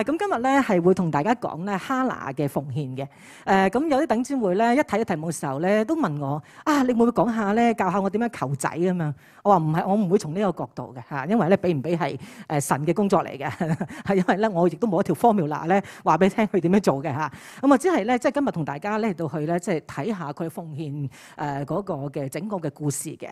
咁今日咧係會同大家講咧哈拿嘅奉獻嘅。咁有啲弟兄姊妹咧一睇到題目嘅時候咧，都問我你會唔會講下咧，教下我點樣求仔啊嘛？我話唔係，我唔會從呢個角度嘅嚇，因為咧俾唔俾係神嘅工作嚟嘅，係因為咧我亦都冇一條 formula 咧話俾你聽佢點樣做嘅嚇。咁啊，只係咧即係今日同大家咧到去咧即係睇下佢奉獻嗰個嘅整個嘅故事嘅。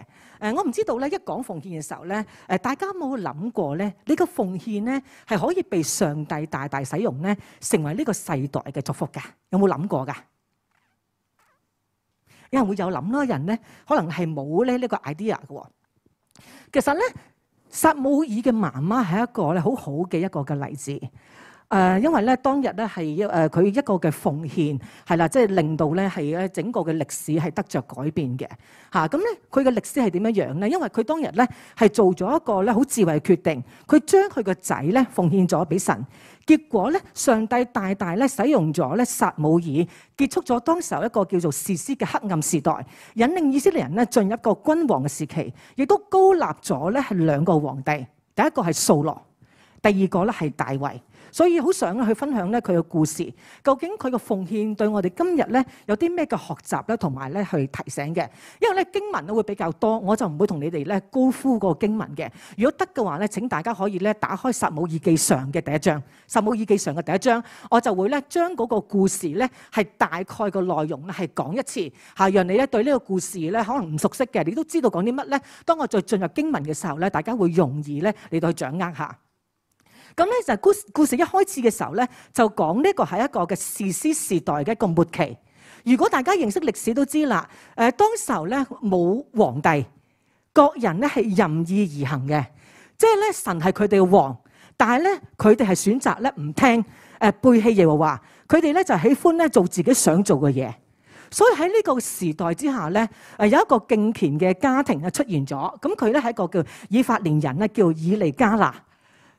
我唔知道咧一講奉獻嘅時候咧，大家有冇諗過咧？呢個奉獻咧係可以被上帝大大使用咧，成為呢個世代嘅祝福㗎。有冇諗過㗎？有人會有諗啦，人咧可能係冇咧呢個 idea 嘅。其實咧，撒母耳嘅媽媽係一個咧好好嘅一個嘅例子。因為咧當日咧係佢一個嘅奉獻係啦，即係令到咧係咧整個嘅歷史係得着改變嘅嚇。咁咧佢嘅歷史係點樣樣咧？因為佢當日咧係做咗一個咧好智慧嘅決定，佢將佢個仔咧奉獻咗俾神。結果咧，上帝大大咧使用咗咧撒母耳，結束咗當時候一個叫做士師嘅黑暗時代，引領以色列人咧進入一個君王嘅時期，亦都高立咗咧係兩個皇帝，第一個係掃羅，第二個咧係大衛。所以好想去分享咧佢嘅故事，究竟佢嘅奉獻對我哋今日咧有啲咩嘅學習咧，同埋咧去提醒嘅。因為咧經文咧會比較多，我就唔會同你哋咧高呼個經文嘅。如果得嘅話咧，請大家可以咧打開撒母耳記上嘅第一章，撒母耳記上嘅第一章，我就會咧將嗰個故事咧係大概個內容咧係講一次嚇，讓你咧對呢個故事咧可能唔熟悉嘅，你都知道講啲乜咧。當我再進入經文嘅時候咧，大家會容易咧嚟到去掌握下。咁咧就故事一開始嘅時候咧，就講呢個係一個嘅士師時代嘅一個末期。如果大家認識歷史都知啦，當時候咧冇皇帝，各人咧係任意而行嘅，即係咧神係佢哋嘅王，但係咧佢哋係選擇咧唔聽，背棄耶和華，佢哋咧就喜歡咧做自己想做嘅嘢。所以喺呢個時代之下咧，有一個敬虔嘅家庭咧出現咗，咁佢咧係一個叫以法蓮人咧，叫以利加拿。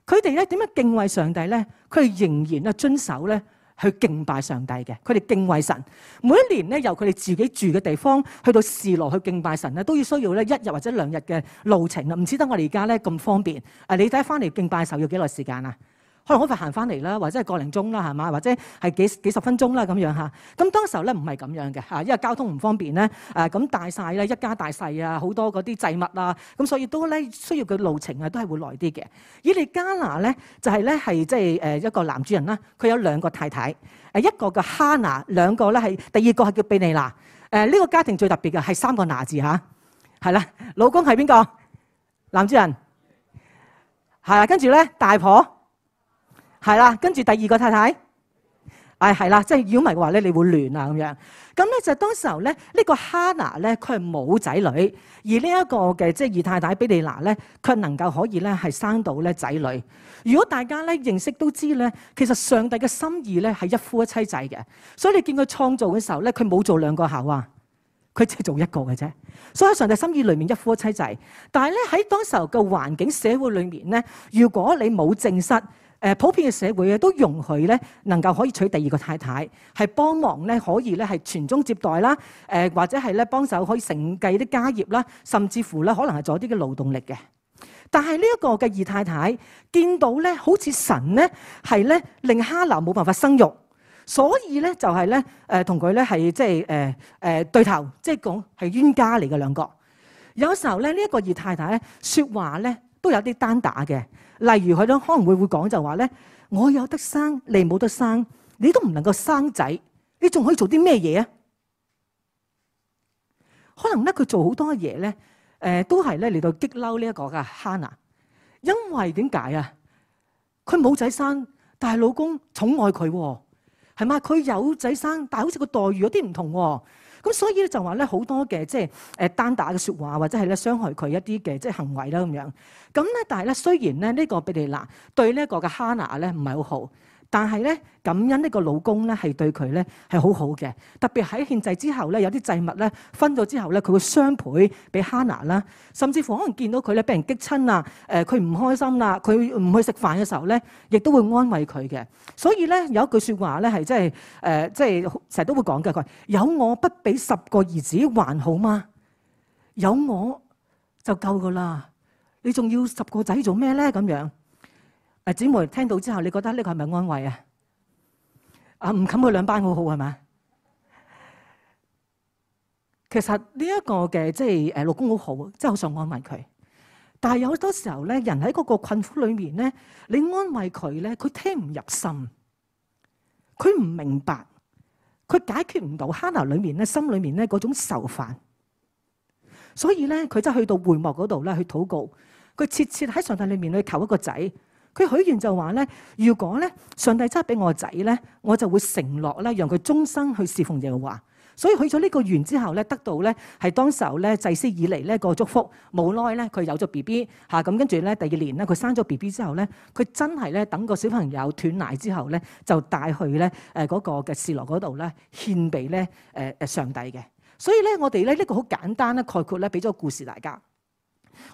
佢哋咧點樣敬畏上帝咧？佢哋仍然咧遵守咧去敬拜上帝嘅。佢哋敬畏神，每一年咧由佢哋自己住嘅地方去到示羅去敬拜神咧，都要需要咧1日或者2日嘅路程啦。唔似得我哋而家咧咁方便。你睇翻嚟敬拜嘅時候要幾耐時間啊？可能好快行翻嚟啦，或者係個零鐘啦，係嘛？或者係幾十分鐘啦咁樣嚇。咁當時候咧唔係咁樣嘅嚇，因為交通唔方便咧。咁大晒咧，一家大細啊，好多嗰啲祭物啊，咁所以都咧需要嘅路程啊，都係會耐啲嘅。以利加拿咧就係咧係即係一個男主人啦，佢有2個太太，一個叫哈拿，兩個咧係第二個係叫比尼拿。呢個家庭最特別嘅係3個拿字嚇，係啦，老公係邊個？男主人係啦，跟住咧大婆。係啦，跟住第二個太太，係啦，即係如果唔係嘅話咧，你會亂啊咁樣。咁咧就當時候咧，呢個哈拿咧，佢係冇仔女，而呢一個嘅即係二太太比利拿咧，佢能夠可以咧係生到咧仔女。如果大家咧認識都知咧，其實上帝嘅心意咧係一夫一妻制嘅，所以你見佢創造嘅時候咧，佢冇做2個夏娃，佢只係做1個嘅啫。所以喺上帝心意裏面一夫一妻制，但係咧喺當時候嘅環境社會裏面咧，如果你冇正室。普遍嘅社會都容許咧，能夠可以娶第2個太太，係幫忙咧，可以咧係傳宗接代啦，或者係咧幫手可以承繼啲家業啦，甚至乎咧可能係做啲嘅勞動力嘅。但係呢一個嘅二太太見到咧，好似神咧係咧令哈拿冇辦法生育，所以咧就係咧同佢咧係即係對頭，即係講係冤家嚟嘅2個。有時候咧呢一個二太太咧説話咧都有啲單打嘅。例如佢都可能會講就話咧，我有得生，你冇得生，你都唔能夠生仔，你仲可以做啲咩嘢啊？可能咧佢做好多嘢咧，都係咧嚟到激嬲呢一個嘅哈拿，因為點解啊？佢冇仔生，但係老公寵愛佢喎，係嘛？佢有仔生，但係好似個待遇有啲唔同喎。咁所以咧就話咧好多嘅即係單打嘅説話，或者係咧傷害佢一啲嘅即係行為啦咁樣。咁咧但係咧雖然咧呢個比利拿對呢一個嘅哈拿咧唔係好好，但係咧感恩呢個老公咧係對佢咧係好好嘅。特別喺獻祭之後咧，有啲祭物咧分咗之後咧，佢會雙倍俾哈拿啦。甚至乎可能見到佢咧俾人激親啊，佢唔開心啦，佢唔去食飯嘅時候咧，亦都會安慰佢嘅。所以咧有一句説話咧係即係成日都會講嘅，佢話有我不比10個兒子還好嗎？有我就夠噶啦，你仲要10個仔做咩咧？咁樣姊妹聽到之後，你覺得呢個係咪安慰啊？唔冚佢兩班好好係嘛？其實呢一個嘅即係老公好好，真係好想安慰佢。但係有好多時候咧，人喺嗰個困苦裏面咧，你安慰佢咧，佢聽唔入心，佢唔明白，佢解決唔到哈拿裏面咧心裏面咧嗰種愁煩。所以咧，佢真係去到會幕嗰度咧去禱告，佢切切喺上帝裏面去求一個仔。佢許願就話咧，如果咧上帝真係俾我個仔咧，我就會承諾咧，讓佢終生去侍奉耶和華。所以許咗呢個願之後咧，得到咧係當時候咧祭司以嚟呢個祝福。冇耐咧，佢有咗 BB 嚇，咁跟住咧第二年咧，佢生咗 BB 之後咧，佢真係咧等個小朋友斷奶之後咧，就帶去咧嗰個嘅示羅嗰度咧獻俾咧上帝嘅。所以咧，我哋咧呢個好簡單咧概括咧，俾咗個故事大家。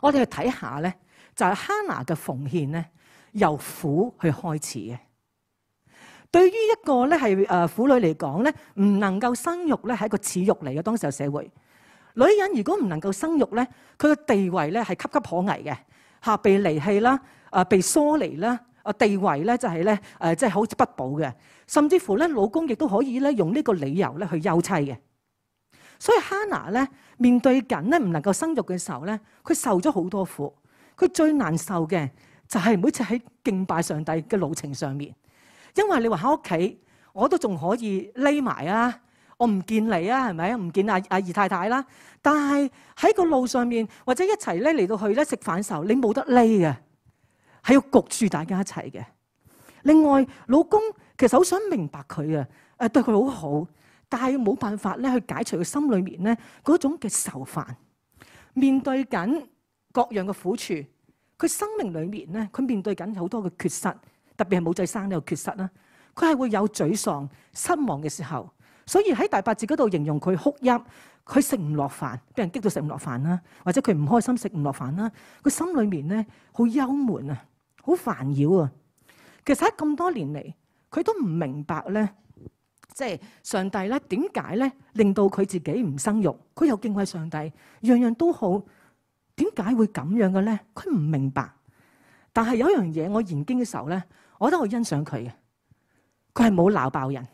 我哋去睇下咧，就係哈拿嘅奉獻咧。由苦去開始嘅，對於一個咧係婦女嚟講咧，唔能夠生育咧係一個恥辱嚟嘅。當時嘅社會，女人如果唔能夠生育咧，佢嘅地位咧係岌岌可危嘅嚇，被離棄啦，被疏離啦，地位咧就係咧即係好似不保嘅，甚至乎咧老公亦都可以咧用呢個理由咧去休妻嘅。所以哈拿咧面對緊咧唔能夠生育嘅時候咧，佢受咗好多苦，佢最難受嘅。就係每次喺敬拜上帝嘅路程上面，因為你話喺屋企，我都仲可以匿埋啊，我唔見你啊，係咪啊？唔見阿二太太啦。但係喺個路上面或者一齊咧嚟到去咧食飯嘅時候，你冇得匿嘅，係要焗住大家一齊嘅。另外，老公其實好想明白佢啊，對佢好好，但係冇辦法咧去解除佢心裏面咧嗰種嘅愁煩，面對緊各樣嘅苦處。佢生命裏面咧，佢面對緊好多嘅缺失，特別係冇仔生呢個缺失啦。佢係會有沮喪、失望嘅時候，所以喺第8節嗰度形容佢哭泣，佢食唔落飯，俾人激到食唔落飯啦，或者佢唔開心食唔落飯啦。佢心裏面咧好憂悶啊，好煩擾啊。其實喺咁多年嚟，佢都唔明白咧，即係上帝咧點解咧令到佢自己唔生育？佢又敬畏上帝，樣樣都好。點解會咁樣嘅咧？佢唔明白。但係有一樣嘢，我研經嘅時候咧，我覺得我欣賞佢嘅。佢係冇鬧爆人，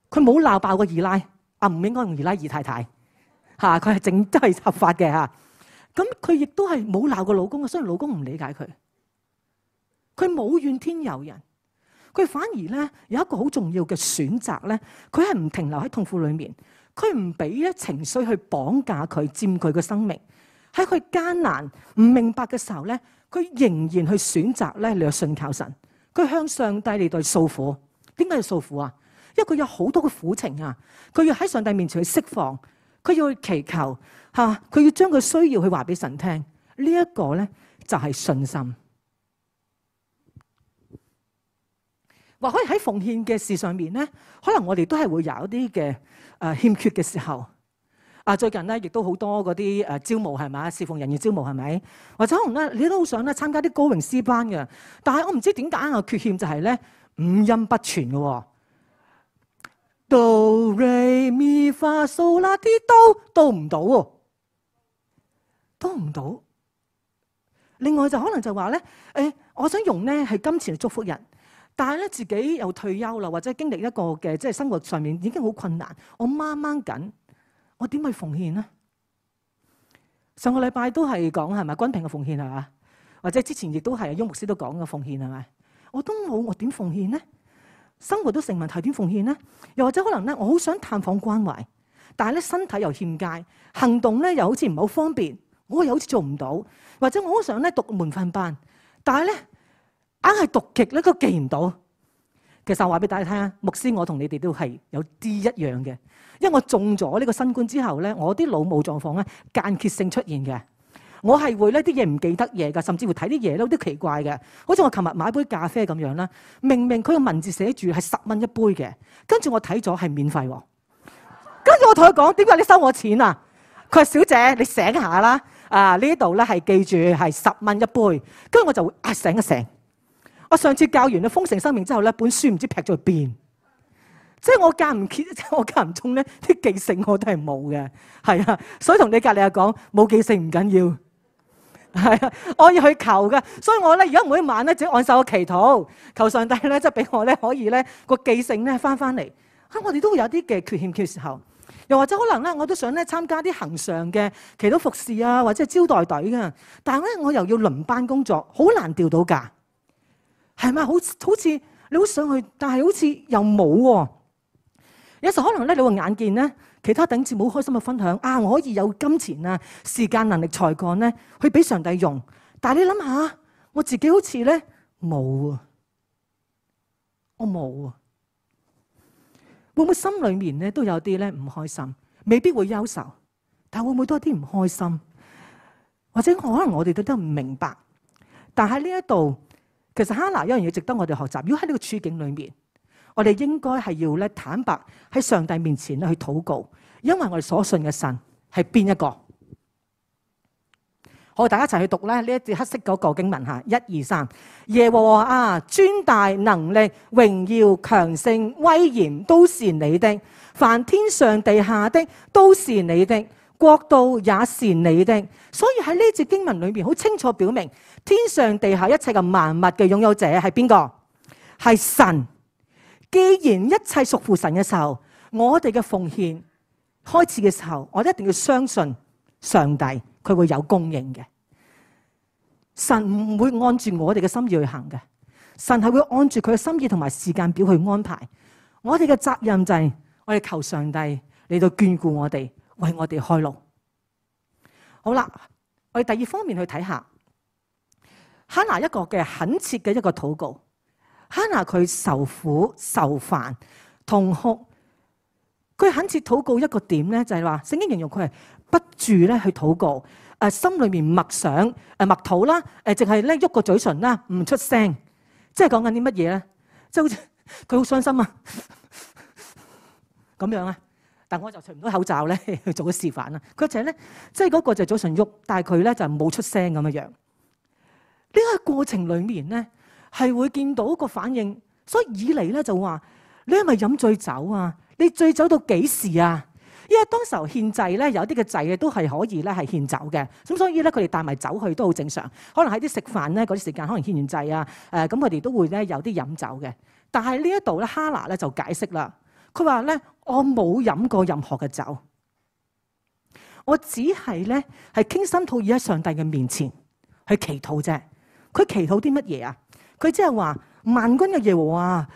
佢冇鬧爆個二奶。唔應該用二奶二太太嚇，佢係正都係合法嘅嚇。咁佢亦都係冇鬧過老公嘅，雖然老公唔理解佢。佢冇怨天尤人，佢反而咧有一個好重要嘅選擇咧，佢係唔停留喺痛苦裏面。佢唔俾咧情緒去綁架佢、佔據佢生命。喺佢艱難唔明白嘅時候咧，佢仍然去選擇咧嚟信靠神。佢向上帝嚟到訴苦。點解要訴苦啊？因為佢有好多嘅苦情啊！佢要喺上帝面前去釋放，佢要去祈求嚇，佢要將佢需要去話俾神聽。呢一個咧就係信心。或可以喺奉獻嘅事上面咧，可能我哋都係會有一啲嘅欠缺嘅時候。最近咧亦都好多嗰啲招募係咪？侍奉人員招募係咪？或者可能咧你都好想咧參加啲歌詠詩班嘅，但係我唔知點解有缺陷就係咧五音不全嘅喎。Do re mi fa sol la ti do 都唔到喎，都唔到。另外就可能就話咧，我想用咧係金錢嚟祝福人。但係咧，自己又退休啦，或者經歷一個嘅即係生活上面已經好困難，我掹掹緊，我點去奉獻呢？上個禮拜都係講係咪均平嘅奉獻係嘛？或者之前亦都係翁牧師都講嘅奉獻係咪？我都冇，我點奉獻呢？生活都成問題，點奉獻呢？又或者可能咧，我好想探訪關懷，但係咧身體又欠佳，行動咧又好似唔係好方便，我又好似做唔到，或者我好想咧讀門訓班，但係咧，硬係讀極咧都記唔到。其實我話俾大家聽，牧師我同你哋都係有啲一樣嘅，因為我中咗呢個新冠之後咧，我啲腦霧狀況咧間歇性出現嘅。我係會呢啲嘢唔記得嘢㗎，甚至乎睇啲嘢都有啲奇怪嘅。好似我琴日買杯咖啡咁樣啦，明明佢個文字寫住係10蚊一杯嘅，跟住我睇咗係免費喎。跟住我同佢講：點解你收我錢啊？佢話：小姐，你醒下啦！呢度咧係記住係10蚊一杯。跟住我就會醒一醒。我上次教完咧豐盛生命之後咧，本書唔知劈咗去邊。即係我間唔中咧啲記性我都係冇嘅，係啊。所以同你隔離講冇記性唔緊要，係啊，我要去求嘅，所以我咧而家每一晚咧只按手祈禱，求上帝咧即係俾我咧可以咧個記性咧翻嚟。我哋都會有啲嘅缺陷嘅時候，又或者可能咧我都想咧參加啲恆常嘅祈禱服侍啊，或者係招待隊嘅，但係咧我又要輪班工作，好難調到假，係咪？好似你好想去，但係好似又冇喎。有時候可能咧你會眼見咧其他弟兄姊妹好開心嘅分享啊，我可以有金錢啊、時間、能力、才幹咧去俾上帝用，但係你諗下，我自己好似咧冇啊，我冇啊。會唔會心裏面咧都有啲咧唔開心？未必會憂愁，但會唔會都有啲唔開心？或者可能我哋都唔明白。但喺呢一度，其實哈拿有一樣嘢值得我哋學習。如果喺呢個處境裏面，我哋應該係要咧坦白喺上帝面前咧去禱告，因為我哋所信嘅神係邊一個？好，大家一齊去讀咧呢一節黑色嗰個經文吓，1、2、3。耶和華啊，尊大能力、榮耀、強盛、威嚴都是你的，凡天上地下的都是你的，國度也是你的。所以喺呢節經文裏面好清楚表明，天上地下一切嘅萬物嘅擁有者係邊個？係神。既然一切屬乎神嘅時候，我哋嘅奉獻開始嘅時候，我哋一定要相信上帝，佢會有供應嘅。神唔會按住我哋嘅心意去行嘅，神係會按住佢嘅心意同埋時間表去安排。我哋嘅責任就係我哋求上帝嚟到眷顧我哋，為我哋開路。好啦，我哋第二方面去睇下哈拿一個嘅懇切嘅一個禱告。哈拿佢受苦受煩痛哭，佢懇切禱告一個點咧，就係話聖經形容佢係不住咧去禱告，心裏面默想默禱啦，淨係咧喐個嘴唇啦，唔出聲，即係講緊啲乜嘢咧？即係好似佢好傷心啊咁樣啊！但我就除唔到口罩咧去做個示範啦。佢就係咧，即係嗰個就嘴唇喐，但係佢咧就冇出聲咁樣樣。呢個過程裏面咧，係會見到個反應，所以以嚟咧就話：你係咪飲醉酒啊？你醉酒到幾時啊？因為當時候獻祭咧，有啲嘅祭嘅都係可以咧係獻酒嘅，咁所以咧佢哋帶埋酒去都好正常。可能喺啲食飯咧嗰啲時間，可能獻完祭啊，咁佢哋都會咧有啲飲酒嘅。但係呢一度咧，哈拿咧就解釋啦，佢話咧：我冇飲過任何嘅酒，我只係咧係傾心吐意喺上帝嘅面前去祈禱啫。佢祈禱啲乜嘢啊？佢即係話萬軍嘅耶和華，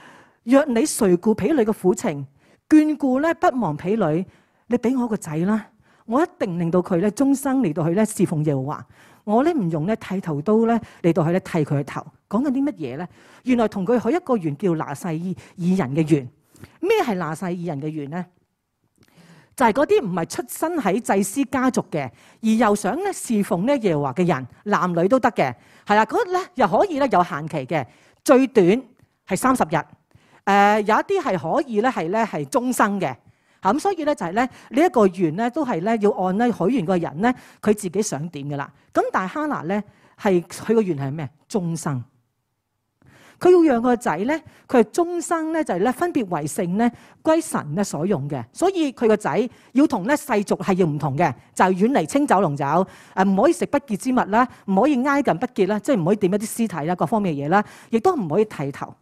若你垂顧婢女嘅苦情，眷顧咧不忘婢女，你俾我個仔啦，我一定令到佢咧終生嚟到去咧侍奉耶和華。我咧唔用咧剃頭刀咧嚟到去咧剃佢嘅頭。講緊啲乜嘢咧？原來同佢許一個願叫拿細耳人嘅願。咩係拿細耳人嘅願咧？就係嗰啲唔係出身喺祭司家族嘅，而又想咧侍奉咧耶和華嘅人，男女都得嘅，係啦，嗰咧又可以咧有限期嘅，最短係30日，有一啲係可以咧係終生嘅，咁所以咧就係咧呢一個願咧都係咧要按咧許願個人咧佢自己想點噶啦，咁但係哈拿咧係佢個願係咩？終生。佢要讓個仔咧，佢係終生咧就係咧分別為聖咧歸神咧所用嘅，所以佢個仔要同咧世俗係要唔同嘅，就係遠離清酒濃酒，唔可以食不潔之物啦，唔可以挨近不潔啦，即係唔可以掂一啲屍體啦，各方面嘅嘢啦，亦都唔可以剃頭。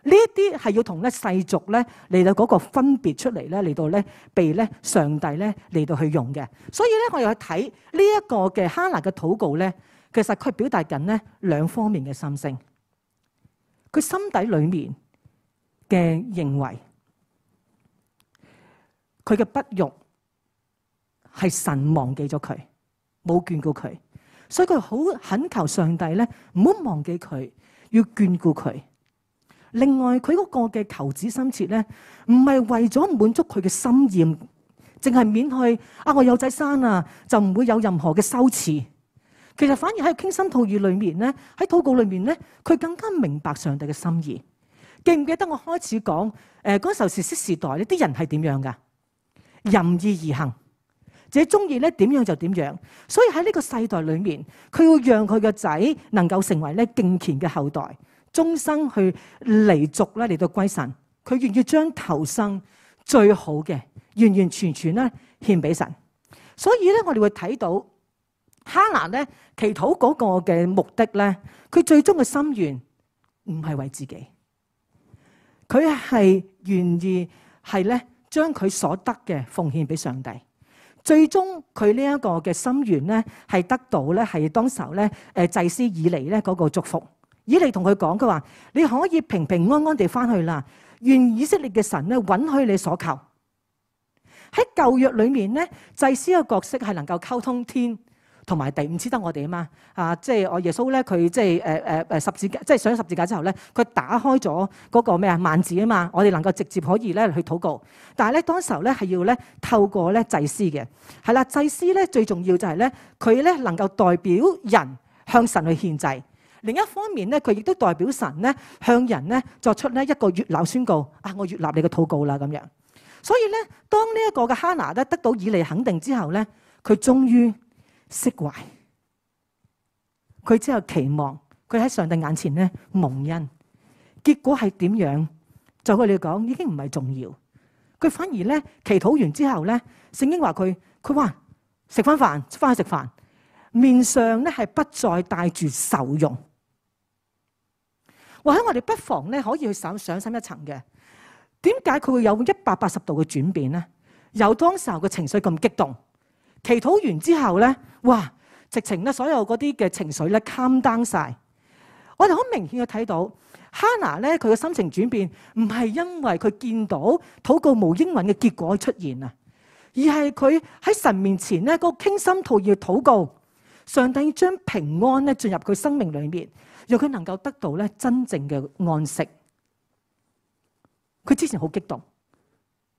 呢一啲係要同咧世俗咧嚟到嗰個分別出嚟咧，嚟到咧被咧上帝咧嚟到去用嘅。所以咧我哋去睇呢一個嘅哈拿嘅禱告咧，其實佢表達緊咧兩方面嘅心聲。佢心底裏面嘅認為，佢嘅不育係神忘記咗佢，冇眷顧佢，所以佢好懇求上帝咧，唔好忘記佢，要眷顧佢。另外，佢嗰個嘅求子心切咧，唔係為咗滿足佢嘅心願，淨係免去我有仔生啊，就唔會有任何嘅羞恥。其實反而喺傾心吐意裏面咧，喺禱告裏面咧，佢更加明白上帝嘅心意。記唔記得我開始講嗰時候士師時代呢啲人係點樣噶？任意而行，自己中意咧點樣就點樣。所以喺呢個世代裏面，佢要讓佢嘅仔能夠成為咧敬虔嘅後代，終生去離族咧嚟到歸神。佢願意將頭生最好嘅完完全全咧獻俾神。所以咧，我哋會睇到。哈拿咧祈禱嗰個嘅目的咧，佢最終嘅心願唔係為自己，佢係願意係咧將佢所得嘅奉獻俾上帝。最終佢呢一個嘅心願咧係得到咧係當時候咧祭司以利咧嗰個祝福。以利同佢講，佢話你可以平平安安地翻去啦，願以色列嘅神咧允許你所求。喺舊約裏面咧，祭司嘅角色係能夠溝通天同埋地，唔似得我哋啊嘛。即係我耶穌咧，佢即係十字架，即係上咗十字架之後咧，佢打開咗嗰個咩啊幔子啊嘛，我哋能夠直接可以咧去禱告。但係咧當時候咧係要咧透過咧祭司嘅，係啦，祭司咧最重要就係咧佢咧能夠代表人向神去獻祭。另一方面咧，佢亦都代表神咧向人咧作出咧一個悅納宣告，我悅納你嘅禱告啦咁樣。所以咧，當呢一個嘅哈拿咧得到以利肯定之後咧，佢終於釋懷，佢之後期望佢喺上帝眼前咧蒙恩。結果係點樣？就佢哋講已經唔係重要，佢反而咧祈禱完之後咧，聖經話佢話食翻飯，翻去食飯，面上咧係不再帶住愁容。或者我哋不妨咧可以去上深一層嘅，點解佢會有180度嘅轉變咧？由當時候嘅情緒咁激動，祈禱完之後咧，哇！直情咧所有嗰啲嘅情緒咧 calm down 晒。我哋好明顯嘅睇到哈拿咧佢嘅心情轉變，唔係因為佢見到禱告無應允嘅結果出現啊，而係佢喺神面前咧嗰個傾心吐意嘅禱告，上帝將平安咧進入佢生命裏面。讓佢能夠得到咧真正嘅安息。佢之前好激動，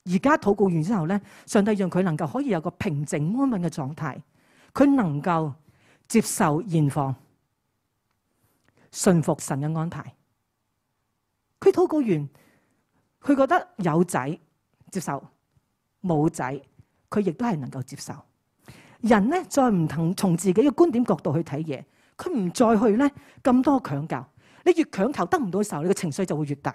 而家禱告完之後咧，上帝讓佢能夠可以有個平靜安穩嘅狀態。佢能夠接受現況，順服神嘅安排。佢禱告完，佢覺得有仔接受，冇仔佢亦都係能夠接受。人咧再唔同從自己嘅觀點角度去睇嘢。佢唔再去咧咁多強求，你越強求得唔到嘅時候，你嘅情緒就會越大。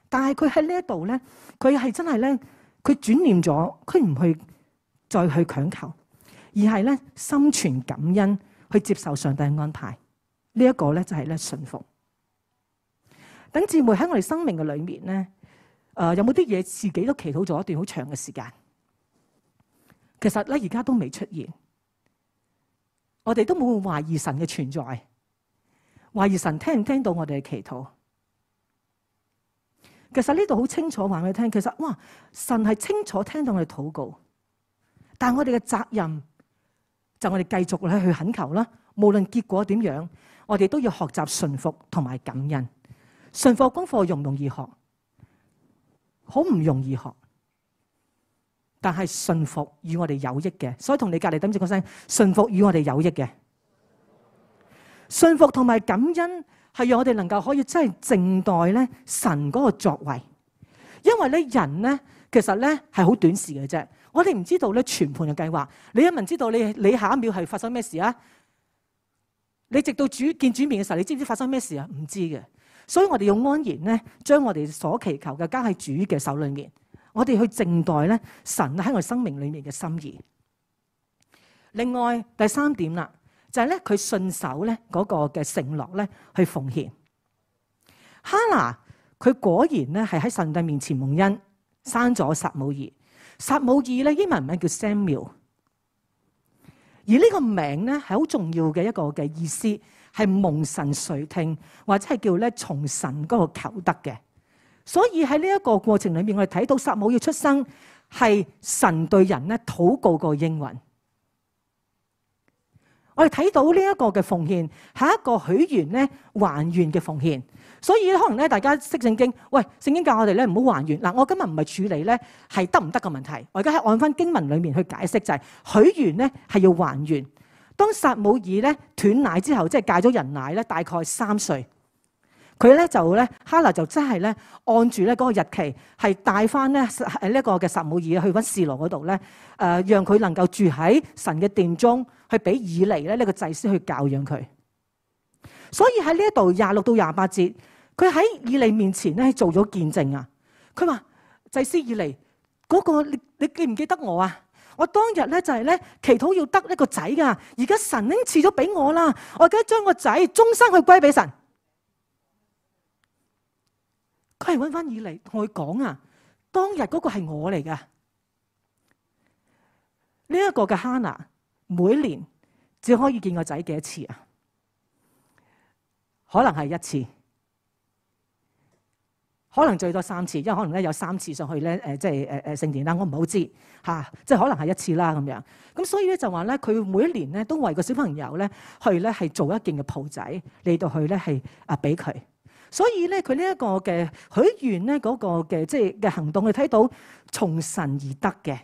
但係佢喺呢一度咧，佢係真係咧，佢轉念咗，佢唔去再去強求，而係咧心存感恩去接受上帝嘅安排。呢一個咧就係咧順服。等姊妹喺我哋生命嘅裏面咧，有冇啲嘢自己都祈禱咗一段好長嘅時間？其實咧而家都未出現。我哋都冇懷疑神嘅存在，懷疑神聽唔聽到我哋嘅祈禱。其實呢度好清楚話俾你聽，其實哇，神係清楚聽到我哋禱告，但係我哋嘅責任就我哋繼續咧去懇求啦。無論結果點樣，我哋都要學習順服同埋感恩。順服功課容唔容易學？好唔容易學。但係順服與我哋有益嘅，所以同你隔籬等住個聲，順服與我哋有益嘅。順服同埋感恩係讓我哋能夠可以真係靜待咧神嗰個作為，因為咧人咧其實咧係好短視嘅啫。我哋唔知道咧全盤嘅計劃，你一問知道你下一秒係發生咩事啊？你直到見主面嘅時候，你知唔知發生咩事啊？唔知嘅，所以我哋要安然咧將我哋所祈求嘅交喺主嘅手裏面。我哋去靜待咧神喺我哋生命裏面嘅心意。另外第三點啦，就係咧佢信守咧嗰個嘅承諾咧去奉獻。哈拿佢果然咧係喺上帝面前蒙恩，生咗撒母耳。撒母耳咧英文名叫 Samuel， 而呢個名咧係好重要嘅一個嘅意思，係蒙神垂聽或者係叫咧從神嗰個求得嘅。所以喺呢一個過程裏面，我哋睇到撒母耳出生係神對人咧禱告個應允。我哋睇到呢一個嘅奉獻係一個許願咧還願嘅奉獻。所以可能咧大家識聖經，喂，聖經教我哋咧唔好還願。嗱，我今日唔係處理咧係得唔得嘅問題，我而家係按翻經文裏面去解釋，就係許願咧係要還願。當撒母耳咧斷奶之後，即係戒咗人奶咧，大概3歲。佢咧就咧，哈拿就真係咧按住咧嗰個日期，係帶翻咧呢一個嘅撒母耳去翻示羅嗰度咧，讓佢能夠住喺神嘅殿中，去俾以利咧呢個祭司去教養佢。所以喺呢一度26到28節，佢喺以利面前咧做咗見證啊！佢話祭司以利嗰個，你記唔記得我啊？我當日咧就係咧祈禱要得一個仔噶，而家神已經賜咗俾我啦，我而家將個仔終生去歸俾神。佢係揾翻以利同佢講啊，當日嗰個係我嚟噶。呢一個嘅哈拿每年只可以見個仔幾多次啊？可能係一次，可能最多3次，因為可能咧有3次上去咧即係聖殿啦，我唔好知嚇，即係可能係1次啦咁樣。咁所以咧就話咧，佢每一年咧都為個小朋友咧去咧係做一件嘅袍仔嚟到去咧係俾佢。所以咧佢呢一個嘅許願咧嗰個嘅即係嘅行動，你睇到從神而得嘅，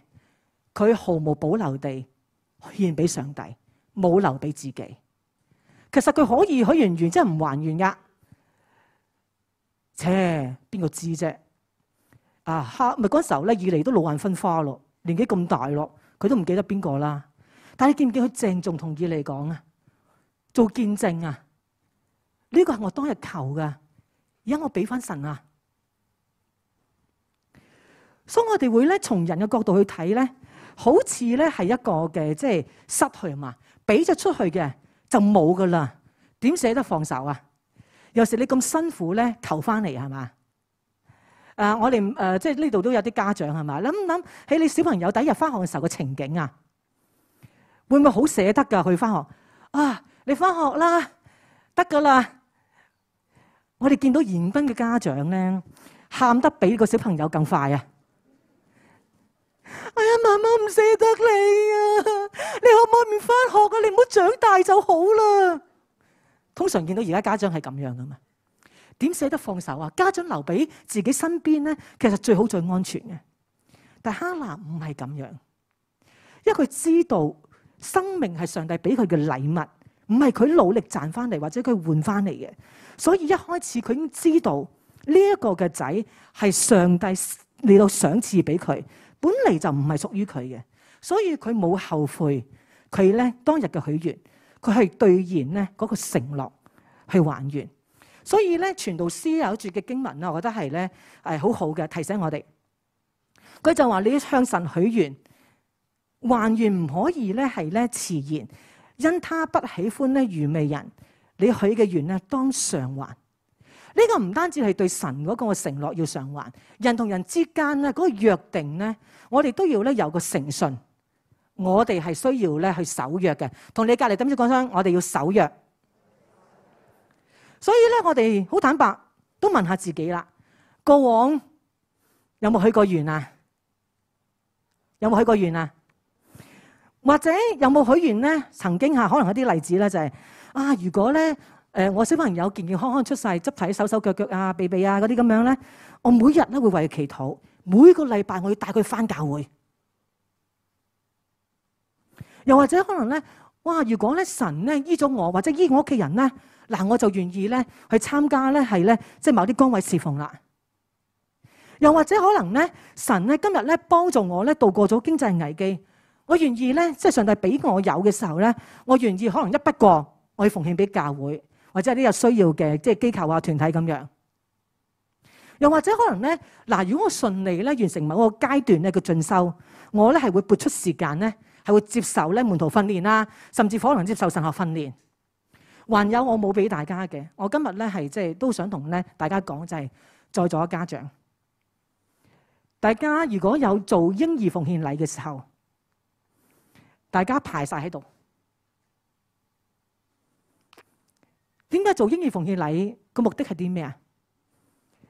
佢毫無保留地獻俾上帝，冇留俾自己。其實佢可以許完願即係唔還願噶，邊個知啫？咪嗰時候咧，以利都老眼昏花咯，年紀咁大咯，佢都唔記得邊個啦。但係你見唔見佢鄭重同以利講啊？做見證啊？呢個係我當日求噶，而家我俾翻神啊！所以我哋會咧從人嘅角度去睇咧，好似咧係一個嘅即係失去嘛，俾咗出去嘅就冇噶啦，點捨得放手啊？有時你咁辛苦咧求翻嚟係嘛？我哋即係呢度都有啲家長係嘛？諗起你小朋友第一日翻學嘅時候嘅情景啊，會唔會好捨得㗎？去翻學啊，你翻學啦，得噶啦！我哋見到嚴彬嘅家長咧，喊得比個小朋友更快啊！哎呀，媽媽唔捨得你啊！你可唔可以唔翻學啊？你唔好長大就好啦。通常見到而家家長係咁樣噶嘛？點捨得放手啊？家長留俾自己身邊咧，其實最好最安全嘅。但哈拿唔係咁樣，因為佢知道生命係上帝俾佢嘅禮物，唔係佢努力賺翻嚟或者佢換翻嚟嘅。所以一開始佢已經知道呢一個嘅仔係上帝嚟到賞賜俾佢，本嚟就唔係屬於佢嘅，所以佢冇後悔。佢咧當日嘅許願，佢係兌現咧嗰個承諾去還願。所以咧傳道師有一節嘅經文啦，我覺得係咧好好嘅提醒我哋。佢就話你向神許願，還願唔可以咧係咧遲延，因他不喜歡咧愚昧人。你許嘅願咧當償還。呢個唔單止係對神嗰個承諾要償還，人同人之間咧嗰個約定咧，我哋都要咧有個誠信。我哋係需要咧去守約嘅。同你隔離點知講聲，我哋要守約。所以咧，我哋好坦白，都問下自己啦。過往有冇許過願啊？有冇許過願啊？或者有冇許願咧？曾經可能有啲例子咧，就係如果咧我小朋友健健康康出世，執睇手手腳腳啊、鼻鼻啊嗰啲咁樣咧，我每日咧會為佢祈禱，每個禮拜我要帶佢返教會。又或者可能咧，如果咧神咧醫咗我，或者醫我屋企人咧，嗱我就願意咧去參加咧係咧即係某啲崗位侍奉啦。又或者可能咧神咧今日咧幫助我咧度過咗經濟危機，我願意咧即係上帝俾我有嘅時候咧，我願意可能一筆過我要奉獻俾教會，或者係啲有需要嘅即係機構啊團體咁樣。又或者可能咧如果我順利咧完成某個階段咧嘅進修，我咧係會撥出時間咧係會接受咧門徒訓練啦，甚至可能接受神學訓練。還有我冇俾大家嘅，我今日咧係即係都想同咧大家講，就係在座嘅家長，大家如果有做嬰兒奉獻禮嘅時候，大家排晒喺度。點解做嬰兒奉獻禮個目的係啲咩啊？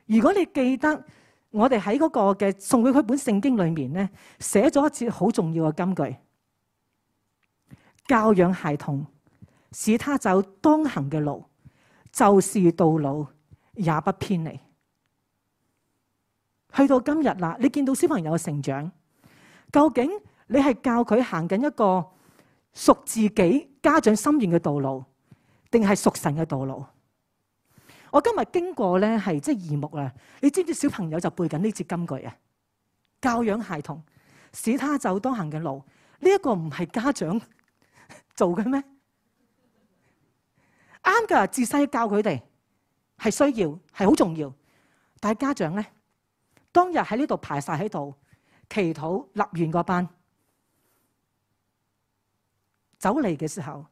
如果你記得我哋喺嗰個嘅送俾佢本聖經裏面咧，寫咗一節好重要嘅金句：教養孩童，使他走當行嘅路，就是到老也不偏離。去到今日啦，你見到小朋友嘅成長，究竟你係教佢行緊一個屬自己家長心願嘅道路，定係屬神嘅道路？我今日經過咧係即係義牧啦，你知唔知小朋友就背緊呢節金句啊？教養孩童，使他走當行嘅路，呢一個唔係家長做嘅咩？啱噶，自細教佢哋係需要，係好重要。但係家長咧，當日喺呢度排晒喺度祈禱立完個班，走嚟嘅時候，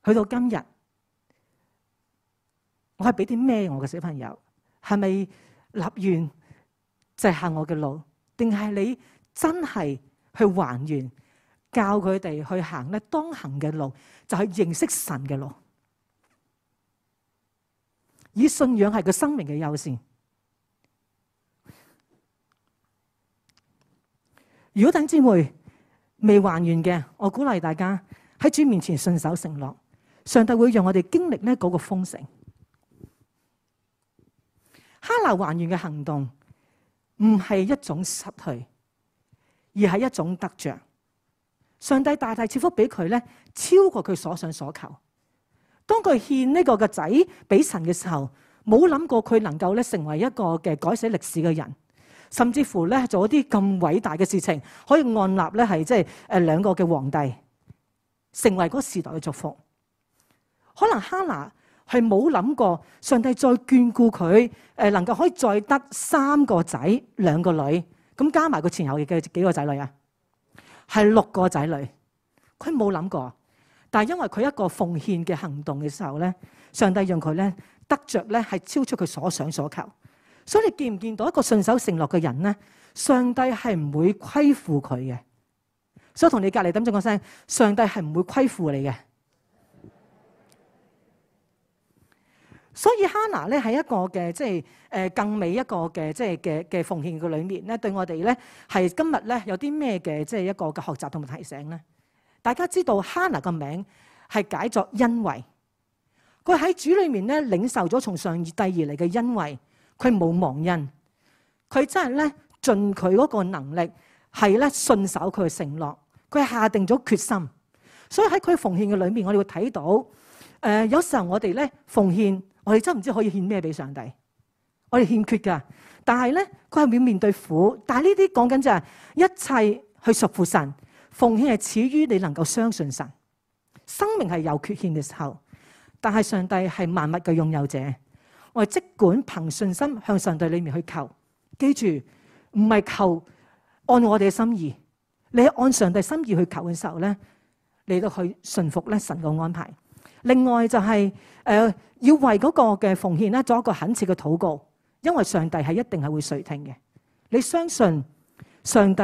去到今日，我係俾啲咩我嘅小朋友？係咪立願就係行我嘅路，定係你真係去還願，教佢哋去行咧當行嘅路，就係認識神嘅路，以信仰係個生命嘅優先。如果弟兄姊妹未還願嘅，我鼓勵大家喺主面前信守承諾，上帝會讓我哋經歷呢嗰個豐盛。哈拿還願嘅行動唔係一種失去，而係一種得着。上帝大大賜福俾佢咧，超過佢所想所求。當佢獻呢個嘅仔俾神嘅時候，冇諗過佢能夠咧成為一個嘅改寫歷史嘅人，甚至乎咧做一啲咁偉大嘅事情，可以按立咧係即係兩個嘅皇帝，成為嗰個時代嘅祝福。可能哈拿係冇諗過上帝再眷顧佢，能夠可以再得3個仔2個女，咁加埋佢前後嘅幾個仔女啊？係6個仔女。佢冇諗過，但係因為佢一個奉獻嘅行動嘅時候咧，上帝讓佢咧得着咧係超出佢所想所求。所以你見唔見到一個信守承諾嘅人咧？上帝係唔會虧負佢嘅。所以同你隔離等陣講聲，上帝係唔會虧負你嘅。所以哈拿咧喺一個嘅即係更美一個嘅即係嘅奉獻嘅裏面咧，對我哋咧係今日咧有啲咩嘅即係一個嘅學習同埋提醒咧？大家知道哈拿個名係解作恩惠，佢喺主裏面咧領受咗從上帝而嚟嘅恩惠，佢冇忘恩，佢真係咧盡佢嗰個能力係咧信守佢嘅承諾，佢下定咗決心。所以喺佢奉獻嘅裏面，我哋會睇到有時候我哋咧奉獻。我哋真唔知可以獻咩俾上帝，我哋欠缺噶。但係咧，佢係會面對苦。但係呢啲講緊就係一切去屬乎神，奉獻係始於你能夠相信神。生命係有缺陷嘅時候，但係上帝係萬物嘅擁有者。我哋即管憑信心向上帝裏面去求，記住唔係求按我哋嘅心意，你按上帝心意去求嘅時候咧，你都去順服咧神嘅安排。另外就係要為嗰個嘅奉獻咧做一個懇切嘅禱告，因為上帝係一定係會垂聽嘅。你相信上帝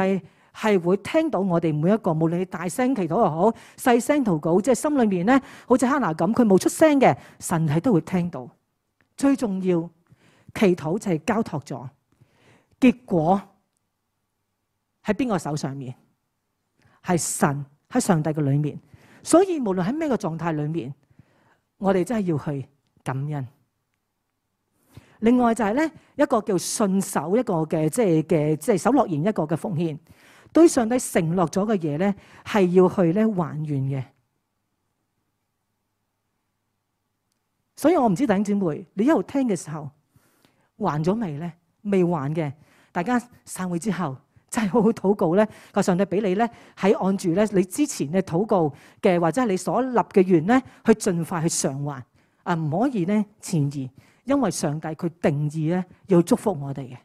係會聽到我哋每一個，無論你大聲祈禱又好，細聲禱告，即係心裏面咧，好似哈拿咁，佢冇出聲嘅，神係都會聽到。最重要，祈禱就係交託咗，結果喺邊個手上面？係神喺上帝嘅裏面。所以無論喺咩個狀態裏面，我哋真係要去感恩。另外就係咧一個叫信守一個嘅即係守諾言一個嘅奉獻，對上帝承諾咗嘅嘢咧係要去咧還願嘅。所以我唔知弟兄姊妹你一路聽嘅時候還咗未咧？未還嘅，大家散會之後真係好好禱告咧，個上帝俾你咧喺按住咧你之前嘅禱告嘅或者係你所立嘅願咧，去盡快去償還啊！唔可以咧前移，因為上帝佢定義咧要祝福我哋嘅。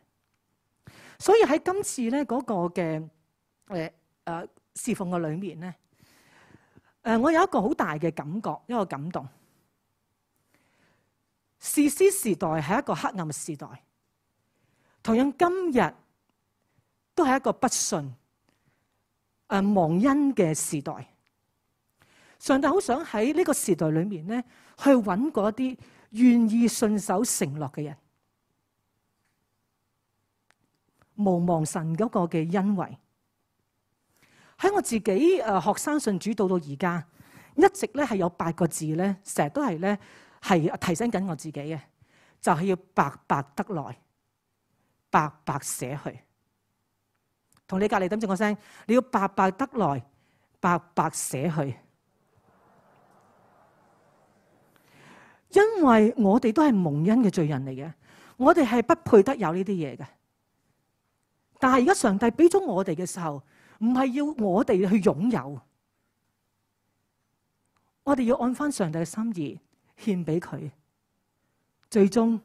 所以喺今次咧嗰個嘅侍奉嘅裏面咧，我有一個好大嘅感覺，一個感動。士師時代係一個黑暗嘅時代，同樣今日都係一個不信、忘恩嘅時代。上帝好想喺呢個時代裏面咧，去揾嗰啲願意信守承諾嘅人，無忘神嗰個嘅恩惠。喺我自己學生信主到而家，一直咧係有8個字咧，成日都係咧係提醒緊我自己嘅，就係要白白得來，白白捨去。同你隔離等陣個聲，你要白白得來，白白捨去。因為我哋都係蒙恩嘅罪人嚟嘅，我哋係不配得有呢啲嘢嘅。但係而家上帝俾咗我哋嘅時候，唔係要我哋去擁有，我哋要按翻上帝嘅心意獻俾佢。最終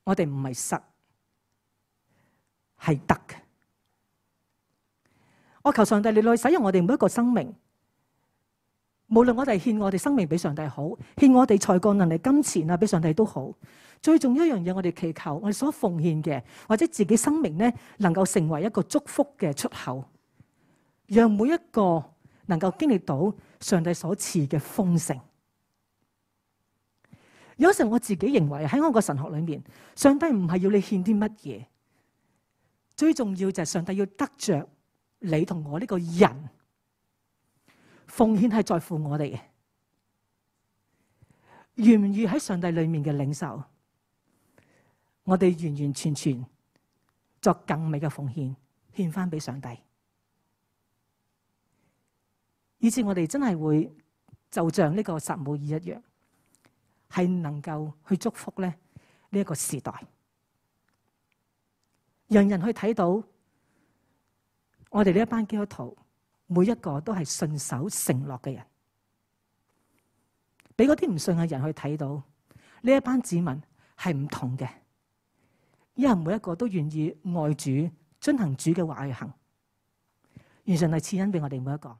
我哋唔係失，係得嘅。我求上帝你來使用我哋每一個生命，無論我哋獻我哋生命俾上帝好，獻我哋才幹能力金錢啊俾上帝都好。最重要一樣嘢，我哋祈求我哋所奉獻嘅或者自己生命咧，能夠成為一個祝福嘅出口，讓每一個能夠經歷到上帝所賜嘅豐盛。有時候我自己認為喺我個神學裏面，上帝唔係要你獻啲乜嘢，最重要就係上帝要得着你同我呢個人。奉獻係在乎我哋嘅，願唔願喺上帝裏面嘅領受，我哋完完全全作更美嘅奉獻，獻翻俾上帝，以至我哋真係會就像呢個撒母耳一樣，係能夠去祝福咧呢一個時代，讓人去睇到我哋呢一班基督徒每一個都係信守承諾嘅人，俾嗰啲唔信嘅人去睇到呢一班子民係唔同嘅，因為每一個都願意愛主，遵行主嘅話去行，願上帝賜恩俾我哋每一個。